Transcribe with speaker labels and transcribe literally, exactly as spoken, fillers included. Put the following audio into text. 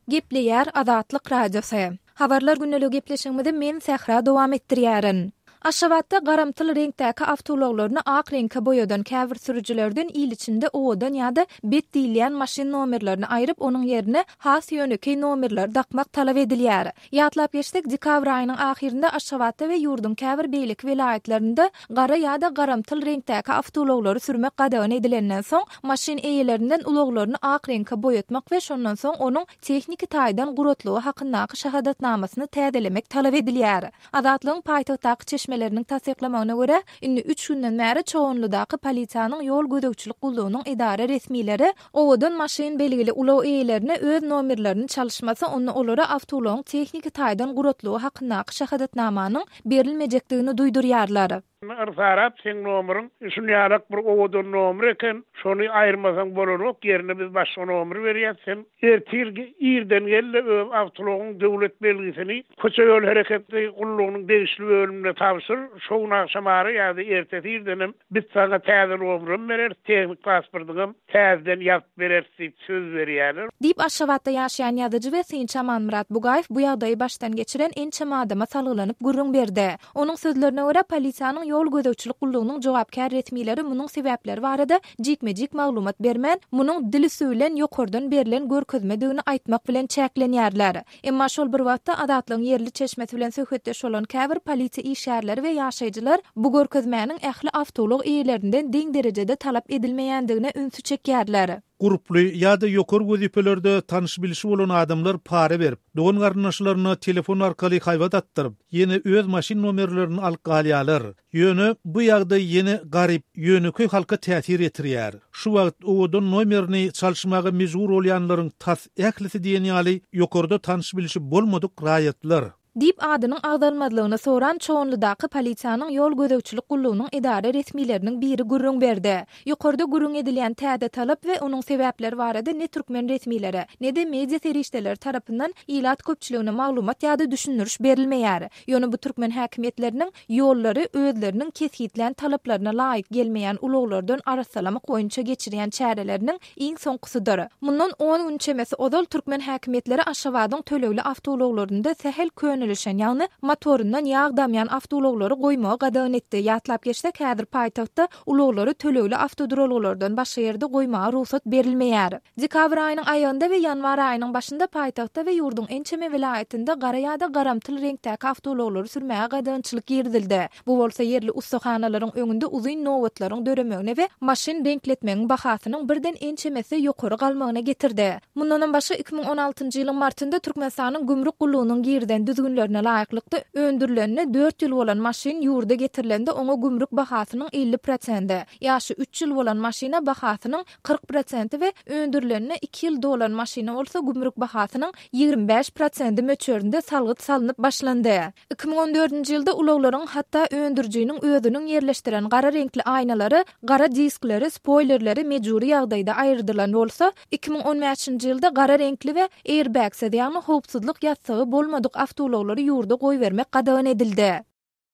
Speaker 1: Gepleýär Azatlyk Radiosy. Habarlar gündeligi gepleşigimizi men Sähra dowam etdirýärin. Aşgabatda garamtyl reňkdäki awtoulaglaryny ak reňke boýadan käbir sürüjilerden il içinde owadan ýa-da bet diýilýän maşyn nomerlerini aýryp, onuň ýerine has ýönekeý nomerleri dakmak talap edilýär. Ýatlap geçsek, dekabr aýynyň ahyrynda Aşgabatda we ýurduň käbir beýleki welaýatlarynda gara ýa-da garamtyl reňkdäki awtoulaglary sürmek gadagan edilenden soň, maşyn eýelerinden ulaglaryny ak reňke boýatmak we şondan soň onuň tehniki taýdan guratlygy hakyndaky şahadatnamasyny täzelemek talap edilýär. Azatlygyň paýtagtdaky çeşmeleriniň tassyklamagyna görä, indi üç günden bäri Çoganlydaky polisiýanyň ýol gözegçilik gullugynyň edara resmileri owadan maşyn belgili ulag eýelerine öz nomerlerini çalyşmasa, onda olara awtoulagyň tehniki taýdan guratlygy hakyndaky şahadatnamanyň berilmejekdigini duýdurýarlar.
Speaker 2: Yrsarap seň nomeriň şunýalak bir owadan nomer eken, şony aýyrmasaň bolanok, ýerine biz başga nomer berýäs, sen ertir irden gel-de öz awtoulagyň döwlet belgisini köçe ýol hereketi gullugynyň degişli bölümine tabşyr, şo gün agşam ara ýa-da ertesi irdenem biz saňa täze nomerem bereris, tehnik pasportyňam täzeden ýazyp bereris diýip söz berýärler.
Speaker 1: Diýip, Aşgabatda ýaşaýan ýazyjy we synçy Amanmyrat Bugaýew bu ýagdaýy başdan geçiren ençeme adama salgylanyp gürrüň berdi. Onuň sözlerine görä, polisiýanyň ýol gözegçilik gullugynyň jogapkär resmileri munuň sebäpleri barada jikme-jik maglumat bermän, munuň dil üsti bilen ýokardan berlen görkezmedigini aýtmak bilen çäklenýärler. Emma şol bir wagtda Azatlygyň ýerli çeşmesi bilen söhbetdeş bolan käbir polisiýa işgärleri we ýaşaýjylar bu görkezmäniň ähli awtoulag eýelerinden deň derejede talap edilmeýändigine ünsi çekýärler.
Speaker 3: Gurply ýa-da ýokary wezipelerde tanyş-bilişi bolan adamlar para berip, dogan-garyndaşlaryna telefon arkaly haýbat atdyryp, ýene öz maşyn nomerlerini alyp galýarlar. Ýöne bu ýagdaý ýene garyp, ýönekeý halka täsir ýetirýär. Şu wagt owadan nomerini çalyşmaga mejbur bolýanlaryň tas ählisi diýen ýaly ýokarda tanyş-bilişi bolmadyk raýatlar.
Speaker 1: Diýip, adynyň agzalmazlygyny soran Çoganlydaky polisiýanyň ýol gözegçilik gullugynyň edara resmileriniň biri gürrüň berdi. Ýokarda gürrüň edilýän täze talap we onuň sebäpleri barada ne türkmen resmileri, ne-de media serişdeleri tarapyndan ilat köpçüligine maglumat ýa-da düşündiriş berilmeýär. Ýöne bu türkmen häkimiýetleriniň ýollary özleriniň kesgitlän talaplaryna laýyk gelmeýän ulaglardan arassalamak boýunça geçirýän çäreleriniň iň soňkusydyr. Mundan on gün çemesi ozal türkmen häkimiýetleri Aşgabadyň tölegli awtoulaglarynda sähel könelişen, ýagny motoryndan ýag damýan awtoulaglary goýmagy gadagan etdi. Ýatlap geçsek, häzir paýtagtda ulaglary tölegli awtoduralgalardan başga ýerde goýmaga rugsat berilmeýär. Dekabr aýynyň aýagynda we ýanwar aýynyň başynda paýtagtda we ýurduň ençeme welaýatynda gara ýa-da garamtyl reňkdäki awtoulaglary sürmäge gadagançylyk girizildi. Bu bolsa ýerli ussahanalaryň öňünde uzyn nobatlaryň döremegine we maşyn reňkletmegiň bahasynyň birden ençemesi ýokary galmagyna getirdi. Mundanam başga iki müň on altynjy ýylyň martynda Türkmenistanyň gümrük gullugynyň girizen düzgünlerine laýyklykda öndürilenine dört ýyl bolan maşyn ýurda getirilende oňa gümrük bahasynyň elli prosenti, ýaşy üç ýyl bolan maşyna bahasynyň kyrk prosenti we öndürilenine iki ýyl dolan maşyna bolsa gümrük bahasynyň ýigrimi bäş prosenti möçberinde salgyt salnyp başlandy. Iki müň on dördünji ýylda ulaglaryň hatda öndürijiniň özüniň ýerleşdiren gara reňkli aýnalary, gara diskleri, spoýlerleri mejbury ýagdaýda aýyrdylan bolsa, iki müň on bäşinji ýylda gara reňkli we airbagsiz, ýagny howpsuzlyk ýassygy bolmadyk awtoulaglary ýurda goýbermek gadagan edildi.